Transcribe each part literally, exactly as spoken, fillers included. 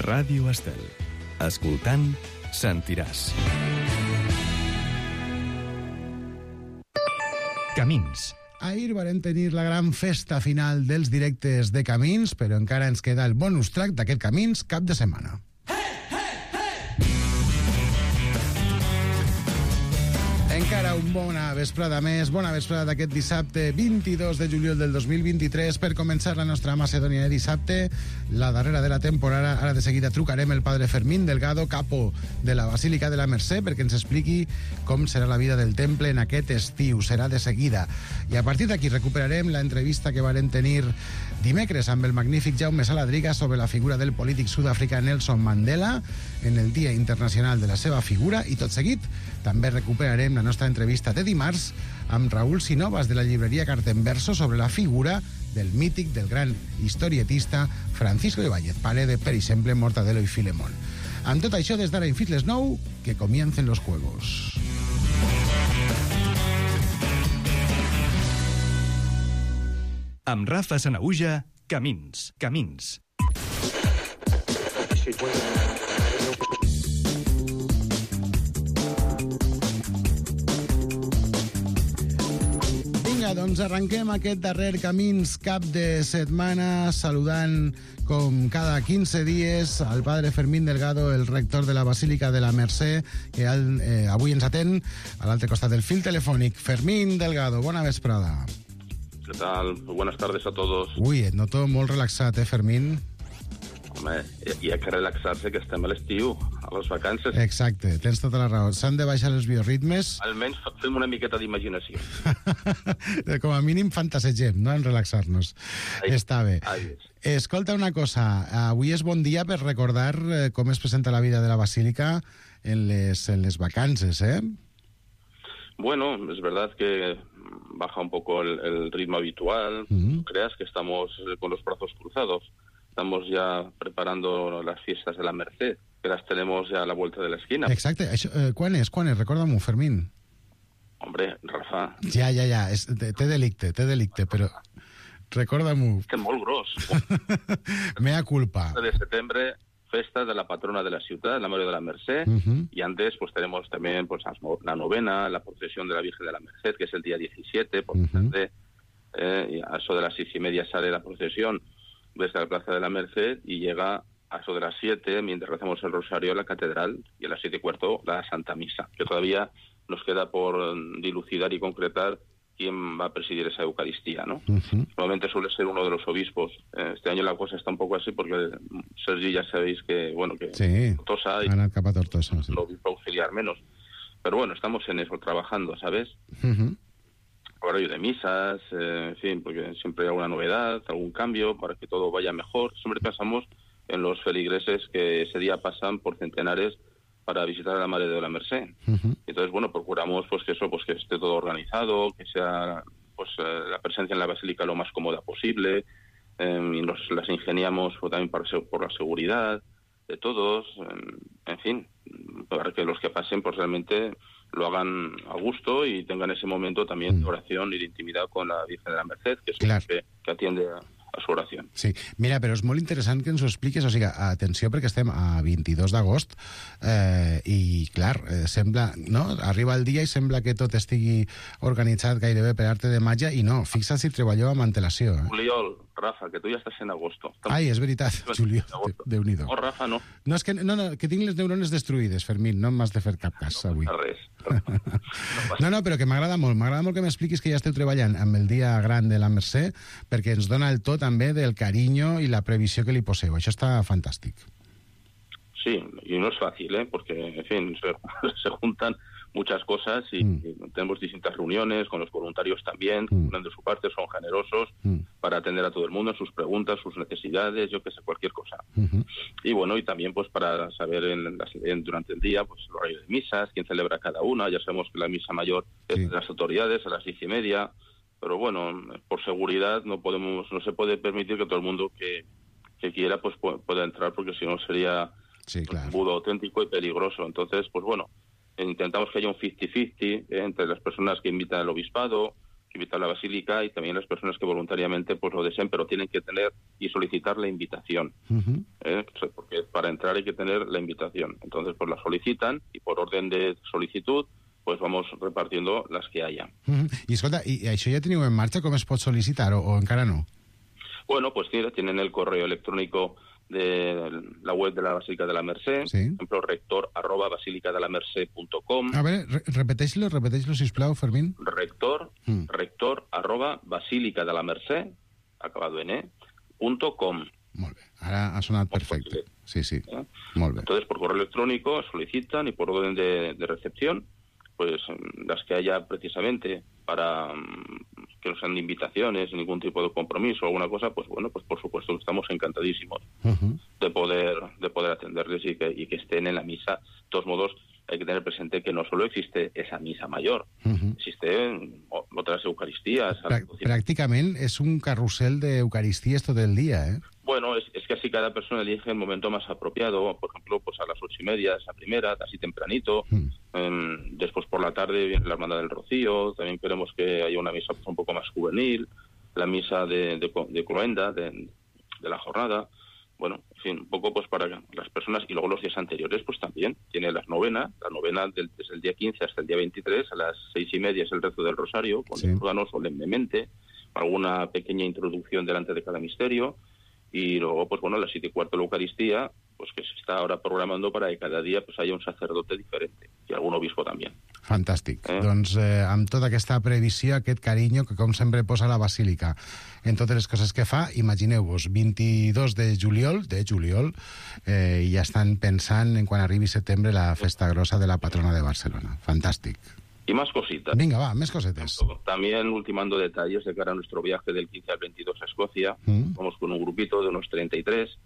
Ràdio Estel. Escoltant, sentiràs. Camins. Ahir vam tenir la gran festa final dels directes de Camins, però encara ens queda el bonus track d'aquest Camins cap de setmana. Encara un bona vesprada més, bona vesprada d'aquest dissabte vint-i-dos de juliol del dos mil vint-i-tres per començar la nostra Macedònia de dissabte, la darrera de la temporada. Ara de seguida trucarem el padre Fermín Delgado, capo de la Basílica de la Mercè, perquè ens expliqui com serà la vida del temple en aquest estiu. Serà de seguida. I a partir d'aquí recuperarem la entrevista que varen tenir dimecres amb el magnífic Jaume Saladriga sobre la figura del polític sud-africà Nelson Mandela en el Dia Internacional de la seva figura, i tot seguit també recuperarem la nostra entrevista de dimarts amb Raúl Sinovas de la llibreria Cartenverso sobre la figura del mític, del gran historietista Francisco Ibáñez, pare de, per exemple, Mortadelo i Filemón. Amb tot això, des d'ara i fins les nou, que comiencen los juegos. Amb Rafa Sanahuja, Camins. Camins. Vinga, doncs arrenquem aquest darrer Camins cap de setmana saludant, com cada quinze dies, al padre Fermín Delgado, el rector de la Basílica de la Mercè, que eh, avui ens atén a l'altre costat del fil telefònic. Fermín Delgado, bona vesprada. ¿Qué tal? Buenas tardes a todos. Uy, et noto molt relaxat, eh, Fermín? Home, hi ha que relaxar-se, que estem a l'estiu, a les vacances. Exacte, tens tota la raó. S'han de baixar els bioritmes. Almenys fem una miqueta d'imaginació. Com a mínim fantasegem, no?, en relaxar-nos. Ai, Està bé. Ai, Escolta una cosa, avui és bon dia per recordar eh, com es presenta la vida de la Basílica en les, en les vacances, eh? Bueno, es verdad que baja un poco el, el ritmo habitual. Uh-huh. No creas que estamos con los brazos cruzados. Estamos ya preparando las fiestas de la Mercè, que las tenemos ya a la vuelta de la esquina. Exacte. Això, eh, quan és? Quan és? Recorda-m'ho, Fermín. Hombre, Rafa... Ja, ja, ja. És, té delicte, té delicte, però... Recorda-m'ho. És que molt gros. Mea culpa. De septiembre, festa de la patrona de la ciudad, la María de la Mercè, uh-huh. Y antes pues tenemos también pues la novena, la procesión de la Virgen de la Merced, que es el día diecisiete, por uh-huh. tarde, eh, y a eso de las seis y media sale la procesión desde la Plaza de la Merced y llega a eso de las siete, mientras rezamos el rosario, a la catedral, y a las siete y cuarto la Santa Misa, que todavía nos queda por dilucidar y concretar quién va a presidir esa Eucaristía, ¿no? Uh-huh. Normalmente suele ser uno de los obispos. Este año la cosa está un poco así porque Sergi ya sabéis que, bueno, que sí, Tortosa y Ana Capa Tortosa, sí. Lo obispo auxiliar menos. Pero bueno, estamos en eso, trabajando, ¿sabes? Uh-huh. Horario de misas, eh, en fin, porque siempre hay alguna novedad, algún cambio para que todo vaya mejor. Siempre pensamos en los feligreses que ese día pasan por centenares para visitar a la Madre de la Mercè. Uh-huh. Entonces, bueno, procuramos pues que eso, pues que esté todo organizado, que sea pues eh, la presencia en la Basílica lo más cómoda posible, eh, y nos las ingeniamos pues, también para, por la seguridad de todos, eh, en fin, para que los que pasen pues realmente lo hagan a gusto y tengan ese momento también de oración y de intimidad con la Virgen de la Merced, que es claro. que, que atiende a, a su oració. Sí, mira, però és molt interessant que ens ho expliquis, o sigui, atenció, perquè estem a vint-i-dos d'agost eh, i, clar, eh, sembla, no? Arriba el dia i sembla que tot estigui organitzat gairebé per arte de màgia, i no, fixa't si treballeu amb antelació. Eh? Juliol, Rafa, que tu ja estàs en agosto. Estamos... Ai, és veritat, Juliol, Déu-n'hi-do. No, Rafa, no. No, és que, no, no, que tinc les neurones destruïdes, Fermín, no m'has de fer cap cas no avui. No res. No, no, però que m'agrada molt, m'agrada molt que m'expliquis que ja esteu treballant amb el dia gran de la Mercè, perquè ens dona el to també del carinyo i la previsió que li poseu. Això està fantàstic. Sí, y no es fácil, ¿eh? Porque, en fin, se, se juntan muchas cosas y, mm. y tenemos distintas reuniones con los voluntarios también, mm. que de su parte son generosos mm. para atender a todo el mundo en sus preguntas, sus necesidades, yo que sé, cualquier cosa. Mm-hmm. Y bueno, y también pues para saber en las, en, durante el día pues el horario de misas, quién celebra cada una. Ya sabemos que la misa mayor es sí. de las autoridades a las diez y media, pero bueno, por seguridad no podemos, no se puede permitir que todo el mundo que, que quiera pues pueda entrar, porque si no sería sí, claro. un budo auténtico y peligroso. Entonces, pues bueno, intentamos que haya un cincuenta cincuenta eh, entre las personas que invitan al obispado, invitar a la Basílica y también las personas que voluntariamente pues lo deseen, pero tienen que tener y solicitar la invitación. Uh-huh. ¿eh? Porque para entrar hay que tener la invitación. Entonces, pues la solicitan y por orden de solicitud pues vamos repartiendo las que haya. Uh-huh. I escolta, i això ja teniu en marxa? Com es pot sol·licitar o, o encara no? Bueno, pues mira, tienen el correo electrónico de la web de la Basílica de la Mercè, sí. por ejemplo, rector arroba basílica de la mercè punto com. A ver, re repeteix-lo, repeteix-lo, sisplau, Fermín. Rector, mm. rector arroba basílica de la Mercè, acabado en e, punto com. Molt bé, ara ha sonat perfecte. Sí, sí, ¿eh? Molt bé. Entonces, por correo electrónico solicitan y por orden de, de recepción, pues las que haya precisamente para que no sean de invitaciones, ningún tipo de compromiso o alguna cosa, pues bueno, pues por supuesto estamos encantadísimos uh-huh. de poder de poder atenderles y que, y que estén en la misa. De todos modos, hay que tener presente que no solo existe esa misa mayor, uh-huh. existen otras eucaristías. Prà Pràcticament és un carrusel d'eucaristies tot el dia, ¿eh? Bueno, es, es que así cada persona elige el momento más apropiado. Por ejemplo, pues a las ocho y media es la primera, así tempranito. Mm. Eh, después por la tarde viene la Hermandad del Rocío. También queremos que haya una misa pues, un poco más juvenil. La misa de, de, de cloenda, de, de la jornada. Bueno, en fin, un poco pues para las personas. Y luego los días anteriores pues también. Tiene las novenas. La novena del, desde el día quince hasta el día veintitrés. A las seis y media es el rezo del Rosario, con sí. el órgano solemnemente. Alguna pequeña introducción delante de cada misterio. Y luego, pues bueno, a las siete y cuarto la Eucaristía, pues que se está ahora programando para que cada dia pues, haya un sacerdote diferente i algun obispo també. Fantàstic. Eh? Doncs eh, amb tota aquesta previsió, aquest carinyo que com sempre posa la Basílica en totes les coses que fa, imagineu-vos, vint-i-dos de juliol, de juliol, eh, i ja estan pensant en quan arribi setembre la festa grossa de la patrona de Barcelona. Fantàstic. Y más cositas. Venga, va, más cosetes. También ultimando detalles de cara a nuestro viaje del quince al veintidós a Escocia. Mm. Vamos con un grupito de unos treinta y tres.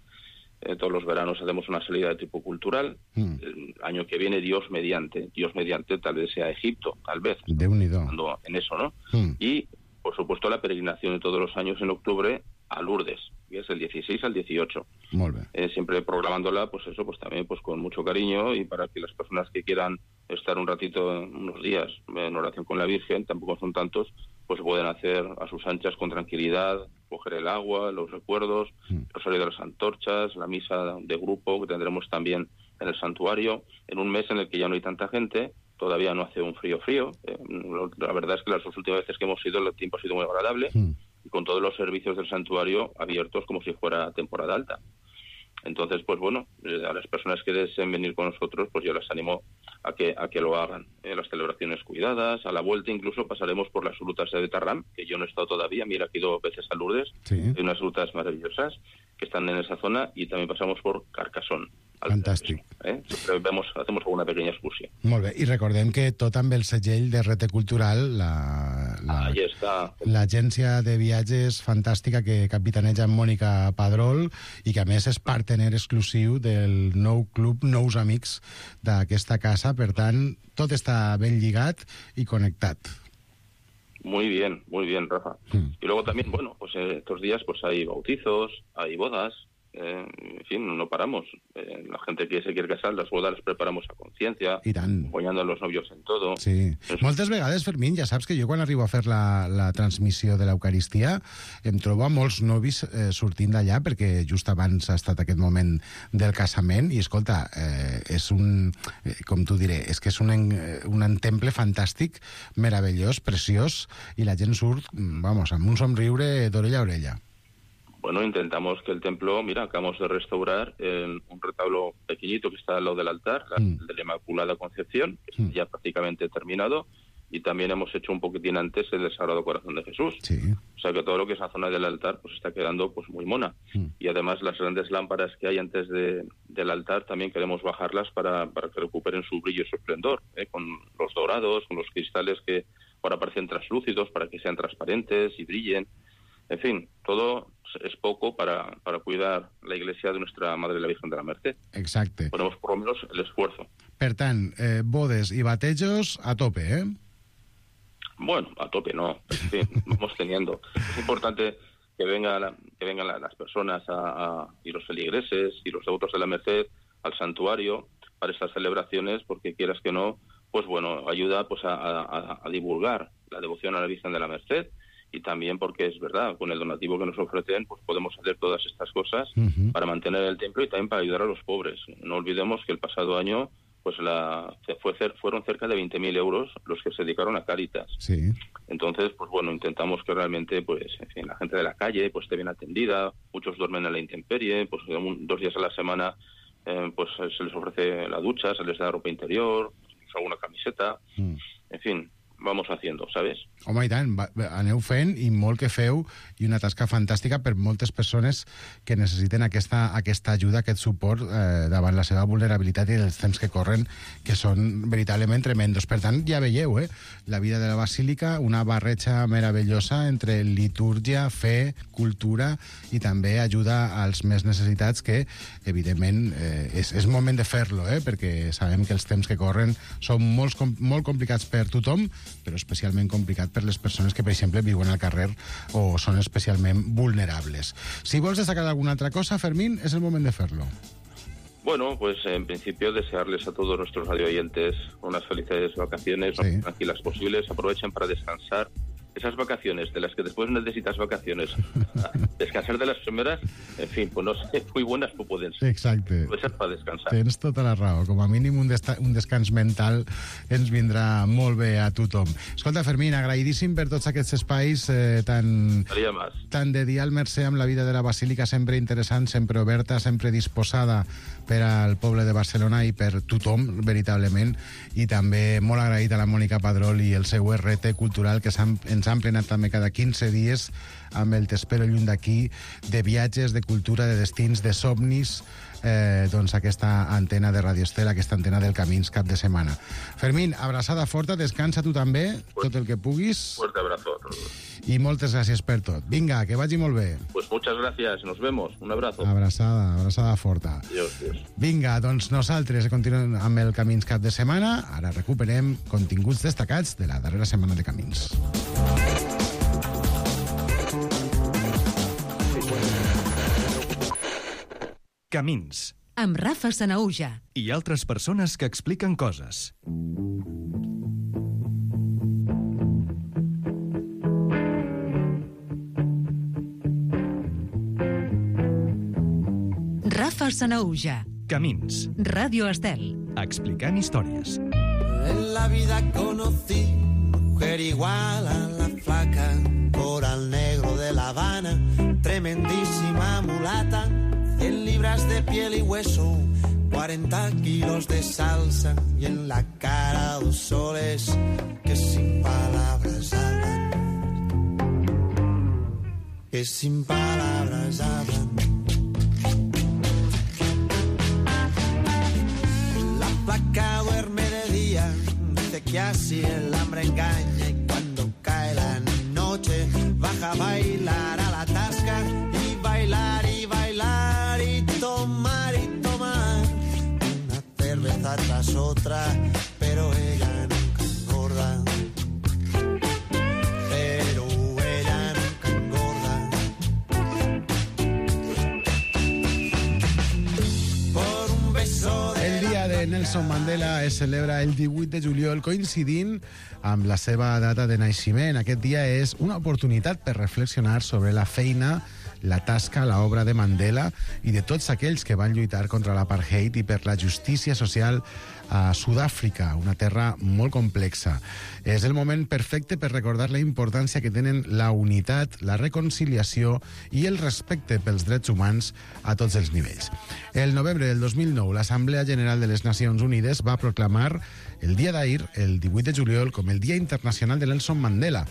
Eh, todos los veranos hacemos una salida de tipo cultural. Mm. El año que viene, Dios mediante. Dios mediante, tal vez sea Egipto, tal vez. De unido. En eso, ¿no? Mm. Y, por supuesto, la peregrinación de todos los años en octubre a Lourdes, que es el dieciséis al dieciocho. Molt bé. Eh, siempre programándola, pues eso, pues también pues con mucho cariño y para que las personas que quieran estar un ratito, unos días en oración con la Virgen, tampoco son tantos, pues pueden hacer a sus anchas con tranquilidad, coger el agua, los recuerdos, mm. el rosario de las antorchas, la misa de grupo que tendremos también en el santuario, en un mes en el que ya no hay tanta gente, todavía no hace un frío frío. Eh, la verdad es que las dos últimas veces que hemos ido el tiempo ha sido muy agradable. Mm. Y con todos los servicios del santuario abiertos como si fuera temporada alta. Entonces, pues bueno, a las personas que deseen venir con nosotros, pues yo las animo a que a que lo hagan. Eh, las celebraciones cuidadas, a la vuelta incluso pasaremos por las rutas de Betarram, que yo no he estado todavía, mira, he ido veces a Lourdes, sí. Hay unas rutas maravillosas que están en esa zona y también pasamos por Carcassonne. Fantàstic. Eh? Siempre vemos, hacemos alguna pequeña excursió. Molt bé, i recordem que tot amb el segell de Rete Cultural, la, la, Ahí està. l'agència de viatges fantàstica que capitaneja Mònica Padrol i que a més és partener exclusiu del nou club Nous Amics d'aquesta casa, per tant, tot està ben lligat i connectat. Muy bien, muy bien, Rafa. Mm. Y luego también, bueno, pues eh, estos días pues hay bautizos, hay bodas, eh, en fin, no paramos. Eh, la gente que se quiere casar, las bodas las preparamos a conciencia, acompañando a los novios en todo. Sí. Eso. Moltes vegades, Fermín, ja saps que jo quan arribo a fer la, la transmissió de l'Eucaristia em trobo a molts novis eh, sortint d'allà perquè just abans ha estat aquest moment del casament i, escolta, eh, és un, eh, com t'ho diré, és que és un, un temple fantàstic, meravellós, preciós, i la gent surt, vamos, amb un somriure d'orella a orella. Bueno, intentamos que el templo, mira, acabamos de restaurar eh, un retablo pequeñito que está al lado del altar, la, mm. de la Inmaculada Concepción, que está mm. ya prácticamente terminado, y también hemos hecho un poquitín antes el del Sagrado Corazón de Jesús. Sí. O sea que todo lo que es la zona del altar pues está quedando pues muy mona. Mm. Y además las grandes lámparas que hay antes de, del altar también queremos bajarlas para, para que recuperen su brillo y su esplendor, ¿eh? Con los dorados, con los cristales que ahora parecen translúcidos para que sean transparentes y brillen. En fin, todo es poco para, para cuidar la iglesia de nuestra Madre la Virgen de la Mercè. Exacte. Ponemos por lo menos el esfuerzo. Per tant, eh, bodes i batejos a tope, ¿eh? Bueno, a tope no. En fin, vamos teniendo. Es importante que, venga la, que vengan la, las personas a, a, y los feligreses y los devotos de la Merced al santuario para estas celebraciones, porque quieras que no, pues bueno, ayuda pues a, a, a divulgar la devoción a la Virgen de la Merced, y también porque es verdad, con el donativo que nos ofrecen, pues podemos hacer todas estas cosas uh-huh. para mantener el templo y también para ayudar a los pobres. No olvidemos que el pasado año pues la fue fueron cerca de veinte mil euros los que se dedicaron a Cáritas. Sí. Entonces, pues bueno, intentamos que realmente, pues, en fin, la gente de la calle pues esté bien atendida, muchos duermen en la intemperie, pues un, dos días a la semana eh, pues se les ofrece la ducha, se les da ropa interior, pues, alguna camiseta, mm. en fin, vamos haciendo, ¿sabes? Home, i tant, va, aneu fent i molt que feu i una tasca fantàstica per moltes persones que necessiten aquesta, aquesta ajuda, aquest suport eh, davant la seva vulnerabilitat i els temps que corren, que són veritablement tremendos. Per tant, ja veieu, eh? La vida de la Basílica, una barreja meravellosa entre litúrgia, fe, cultura i també ajuda als més necessitats que, evidentment, eh, és, és moment de fer-lo, eh? Perquè sabem que els temps que corren són molt, molt complicats per tothom, però especialment complicat per les persones que, per exemple, viuen al carrer o són especialment vulnerables. Si vols destacar alguna altra cosa, Fermín, es el moment de fer-lo. Bueno, pues en principio desearles a todos nuestros radioyentes unas felices vacaciones, sí. Lo más tranquilas posibles, aprovechen para descansar. Esas vacaciones, de las que después necesitas vacaciones, descansar de las primeras, en fin, pues no sé, muy buenas no pueden ser. Exacte. Puede ser para descansar. Tens tota la raó. Com a mínim un, un descans mental ens vindrà molt bé a tothom. Escolta, Fermín, agraïdíssim per tots aquests espais eh, tan, tan de dia al Mercè amb la vida de la Basílica, sempre interessant, sempre oberta, sempre disposada per al poble de Barcelona i per tothom, veritablement, i també molt agraït a la Mònica Padrol i el seu R T cultural que s'han ens han plenat també cada quinze dies amb el T'espero lluny d'aquí, de viatges, de cultura, de destins, de somnis, eh, doncs aquesta antena de Radio Estel, aquesta antena del Camins cap de setmana. Fermín, abraçada forta, descansa tu també, tot el que puguis. Fuerte abrazo a todos. I moltes gràcies per tot. Vinga, que vagi molt bé. Pues muchas gracias, nos vemos, un abrazo. Abraçada, abraçada forta. Adiós, adiós. Vinga, doncs nosaltres continuem amb el Camins cap de setmana. Ara recuperem continguts destacats de la darrera setmana de Camins. Camins. Amb Rafa Sanahuja. I altres persones que expliquen coses. Rafa Sanahuja. Camins. Radio Estel. Explicant històries. En la vida conocí mujer igual a la flaca, coral negro de La Habana, tremendísima mulata, cien libras de piel y hueso, cuarenta kilos de salsa y en la cara dos soles que sin palabras hablan, que sin palabras hablan. La flaca duerme de día, dice que así el hambre engaña y cuando cae la noche baja a bailar a la tasca y bailar y bailar y tomar y tomar una cerveza tras otra, pero ella nunca engorda, pero ella nunca engorda. Por un beso de el dia de Nelson Mandela es celebra el divuit de juliol, coincidint amb la seva data de naixement. Aquest dia és una oportunitat per reflexionar sobre la feina, la tasca, l'obra de Mandela i de tots aquells que van lluitar contra l'apartheid i per la justícia social a Sud-àfrica, una terra molt complexa. És el moment perfecte per recordar la importància que tenen la unitat, la reconciliació i el respecte pels drets humans a tots els nivells. El novembre del dos mil nou, l'Assemblea General de les Nacions Unides va proclamar el dia d'ahir, el divuit de juliol, com el Dia Internacional de Nelson Mandela.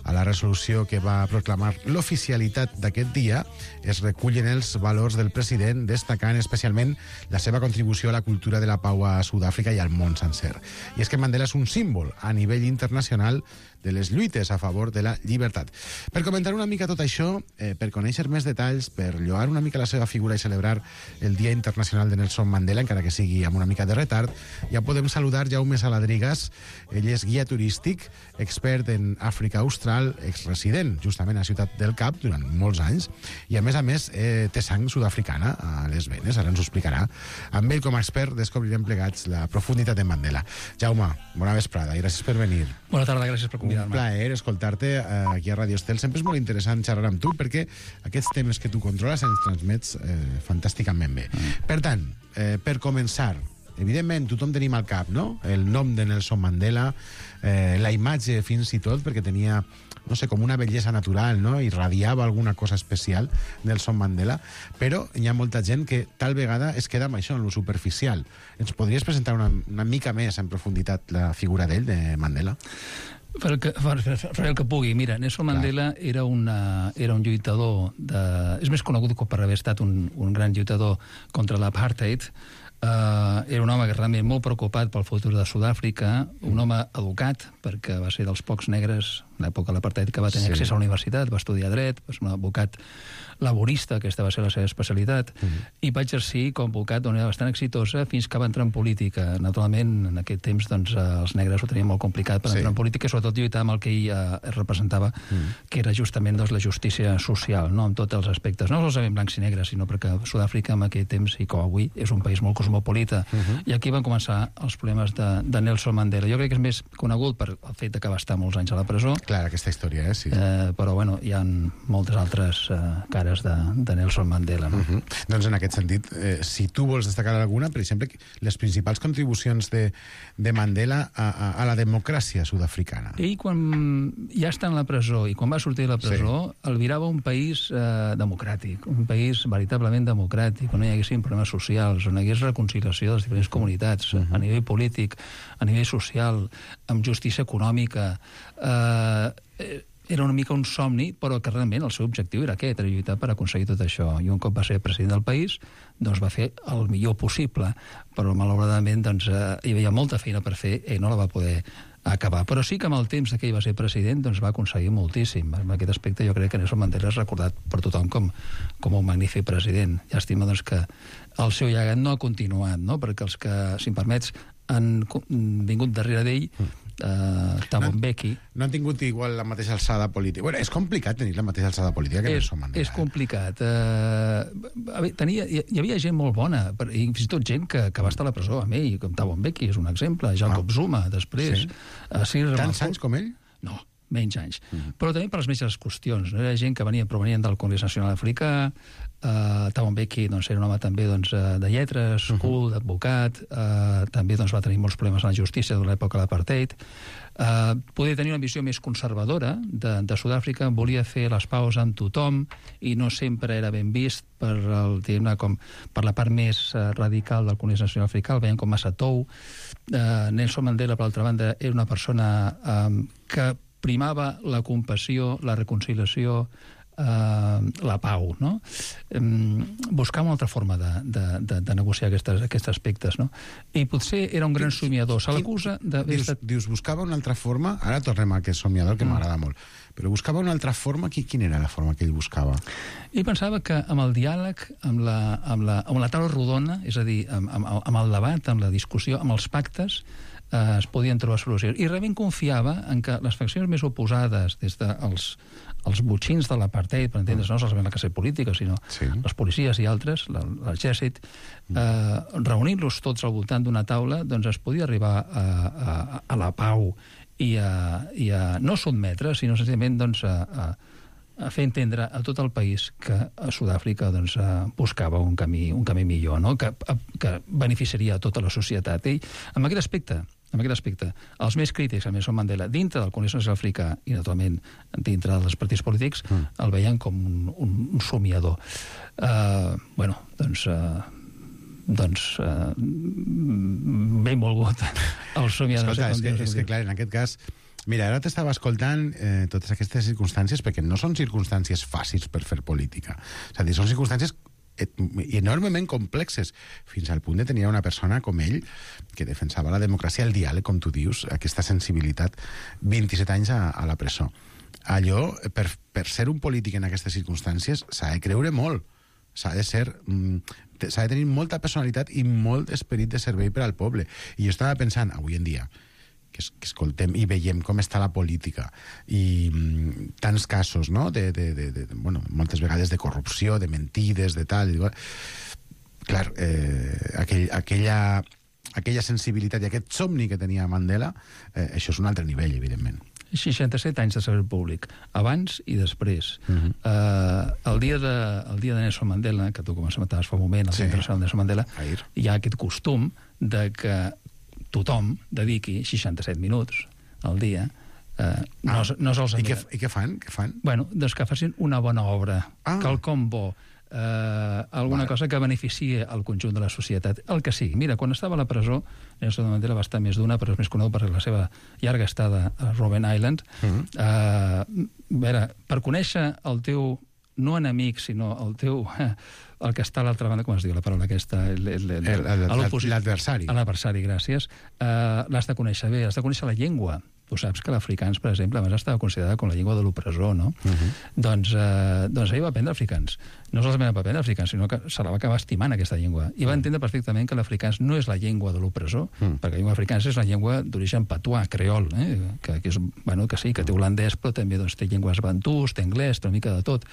A la resolució que va proclamar l'oficialitat d'aquest dia es recullen els valors del president, destacant especialment la seva contribució a la cultura de la pau a Sud-àfrica i al món sencer. I és que Mandela és un símbol a nivell internacional de les lluites a favor de la llibertat. Per comentar una mica tot això, eh, per conèixer més detalls, per lloar una mica la seva figura i celebrar el Dia Internacional de Nelson Mandela, encara que sigui amb una mica de retard, ja podem saludar Jaume Saladrigas. Ell és guia turístic, expert en Àfrica Austral, exresident justament a Ciutat del Cap durant molts anys, i a més a més eh, té sang sud-africana a les venes, ara ens ho explicarà. Amb ell com a expert descobrirem plegats la profunditat de Mandela. Jaume, bona vesprada i gràcies per venir. Bona tarda, gràcies per Un convidar-me. plaer escoltar-te eh, aquí a Radio Estel. Sempre és molt interessant xerrar amb tu perquè aquests temes que tu controles ens transmets eh, fantàsticament bé. Mm. Per tant, eh, per començar, evidentment tothom tenim al cap, no?, el nom de Nelson Mandela, eh, la imatge fins i tot, perquè tenia, no sé, com una bellesa natural, no?, irradiava alguna cosa especial, Nelson Mandela, però hi ha molta gent que tal vegada es queda amb això, en lo superficial. Ens podries presentar una, una mica més en profunditat la figura d'ell, de Mandela? Per el que, per, per, per el que pugui. Mira, Nelson Mandela era, una, era un lluitador de... És més conegut per haver estat un, un gran lluitador contra l'apartheid. Uh, era un home que realment molt preocupat pel futur de Sud-àfrica, un home educat, perquè va ser dels pocs negres en l'època de l'apartheid que va tenir Sí. accés a la universitat, va estudiar dret, va ser un advocat laborista, aquesta va ser la seva especialitat, Mhm. i va exercir com a advocat d'una manera bastant exitosa fins que va entrar en política. Naturalment, en aquest temps, doncs, eh, els negres ho tenien molt complicat per Sí. entrar en política i sobretot lluitar amb el que ell eh, representava, Mhm. que era justament, doncs, la justícia social, no?, en tots els aspectes, no solament blancs i negres, sinó perquè Sud-àfrica en aquell temps, i com avui, és un país molt cosmopolita. Mhm. I aquí van començar els problemes de, de Nelson Mandela. Jo crec que és més conegut per el fet de que va estar molts anys a la presó, Clar, aquesta història, eh? Sí. eh, però bueno, hi ha moltes altres eh, cares de, de Nelson Mandela, no? Uh -huh. Doncs en aquest sentit, eh, si tu vols destacar alguna, per exemple, les principals contribucions de, de Mandela a, a, a la democràcia sud-africana. Ell, quan ja està en la presó i quan va sortir de la presó, sí. albirava un país eh, democràtic, un país veritablement democràtic, on no hi haguessin problemes socials, on hi hagués reconciliació de les diferents comunitats, uh -huh. a nivell polític, a nivell social, amb justícia econòmica. Eh, eh, era una mica un somni, però que realment el seu objectiu era aquest, era lluitar per aconseguir tot això. I un cop va ser president del país, doncs va fer el millor possible, però malauradament doncs, eh, hi havia molta feina per fer i no la va poder acabar. Però sí que amb el temps que ell va ser president doncs va aconseguir moltíssim. En aquest aspecte jo crec que Nelson Mandela és recordat per tothom com, com un magnífic president. Llàstima doncs, que el seu llegat no ha continuat, no?, perquè els que, si em permets, han vingut darrere d'ell, Uh, Thabo Mbeki. No han tingut igual la mateixa alçada política. Bueno, és complicat tenir la mateixa alçada política que és, Nelson Mandela. és complicat. Uh, a veure, tenia, hi, hi havia gent molt bona, per, i fins i tot gent que, que va estar a la presó amb ell, com Thabo Mbeki és un exemple, Jacob Ah. Zuma, després. Sí. Uh, Cyril Tants Ramaphosa. anys com ell? No, menys anys. Mhm. Però també per les mateixes qüestions. No? Era gent que venia provenient del Congrés Nacional Africà, uh, Thabo Mbeki doncs, era un home també doncs, de lletres, Mhm. cool, d'advocat, uh, també doncs, va tenir molts problemes a la justícia durant l'època de l'apartheid. Uh, podia tenir una visió més conservadora de, de Sud-àfrica, volia fer les paus amb tothom i no sempre era ben vist per, el, diguem-ne, com, per la part més uh, radical del Congrés Nacional Africà, el veien com massa tou. Uh, Nelson Mandela, per altra banda, era una persona um, que primava la compassió, la reconciliació, Uh, la pau, no? Um, buscar una altra forma de, de, de, de negociar aquestes, aquests aspectes, no? I potser era un gran somiador. Se l'acusa d'haver Dius, estat... dius, buscava una altra forma... Ara tornem a aquest somiador, que Mm. m'agrada molt. Però buscava una altra forma... Qui, quina era la forma que ell buscava? Ell pensava que amb el diàleg, amb la, amb la, amb la taula rodona, és a dir, amb, amb, amb el debat, amb la discussió, amb els pactes, eh, es podien trobar solucions. I realment confiava en que les faccions més oposades, des dels els botxins de l'apartheid, per entendre's, no solament la classe política, sinó Sí. les policies i altres, la- l'exèrcit, eh, reunir-los tots al voltant d'una taula, doncs es podia arribar a, a, a la pau i a, i a no sotmetre, sinó senzillament doncs, a, a, a fer entendre a tot el país que a Sud-àfrica doncs, eh, buscava un camí, un camí millor, no? que, que beneficiaria a tota la societat. I en aquest aspecte, en aquest aspecte, els més crítics a Nelson Mandela, dintre del Congrés Nacional Africà i, naturalment, dintre dels partits polítics, Mm. el veien com un, un, un somiador. Uh, bueno, doncs... Uh, doncs uh, ben volgut el somiador. Escolta, no és sé que, com dir-ho, és que clar, en aquest cas... Mira, ara t'estava escoltant eh, totes aquestes circumstàncies, perquè no són circumstàncies fàcils per fer política. És a dir, són circumstàncies et- enormement complexes, fins al punt de tenir una persona com ell, que defensava la democràcia, el diàleg, com tu dius, aquesta sensibilitat, vint-i-set anys a, a la presó. Allò, per, per ser un polític en aquestes circumstàncies, s'ha de creure molt. S'ha de ser... Mm, s'ha de tenir molta personalitat i molt esperit de servei per al poble. I jo estava pensant, avui en dia, que, es, que escoltem i veiem com està la política i mm, tants casos, no?, de, de, de, de, bueno, moltes vegades de corrupció, de mentides, de tal, i igual. Clar, eh, aquell, aquella aquella sensibilitat i aquest somni que tenia Mandela, eh, això és un altre nivell, evidentment. seixanta-set anys de servei públic, abans i després. Uh -huh. uh, el, dia de, el dia de Nelson Mandela, que tu comentaves fa un moment, el sí. Dia Internacional de Nelson Mandela, Ahir. Hi ha aquest costum de que tothom dediqui seixanta-set minuts al dia. Uh, no, ah, no sols I, què, I què fan? Què fan? Bueno, doncs que facin una bona obra, ah. quelcom bo, Uh, alguna vale. cosa que beneficie el conjunt de la societat, el que sigui. Mira, quan estava a la presó, Nelson Mandela va estar més d'una, però és més conegut per la seva llarga estada a Robben Island. Uh-huh. uh, a veure, per conèixer el teu, no enemic, sinó el teu... el que està a l'altra banda, com es diu la paraula aquesta? L'adversari. L'adversari, gràcies. Uh, l'has de conèixer bé, has de conèixer la llengua. Tu saps que l'africans, per exemple, abans estava considerada com la llengua de l'opressor, no? Uh-huh. Doncs, eh, doncs ell va aprendre africans. No solament va aprendre africans, sinó que se la va acabar estimant, aquesta llengua. I va entendre perfectament que l'africans no és la llengua de l'opressor, uh-huh. perquè la llengua africana és la llengua d'origen patuà, creol, eh? que, que, és, bueno, que sí, que té holandès, però també doncs, té llengües bantús, té anglès, té una mica de tot.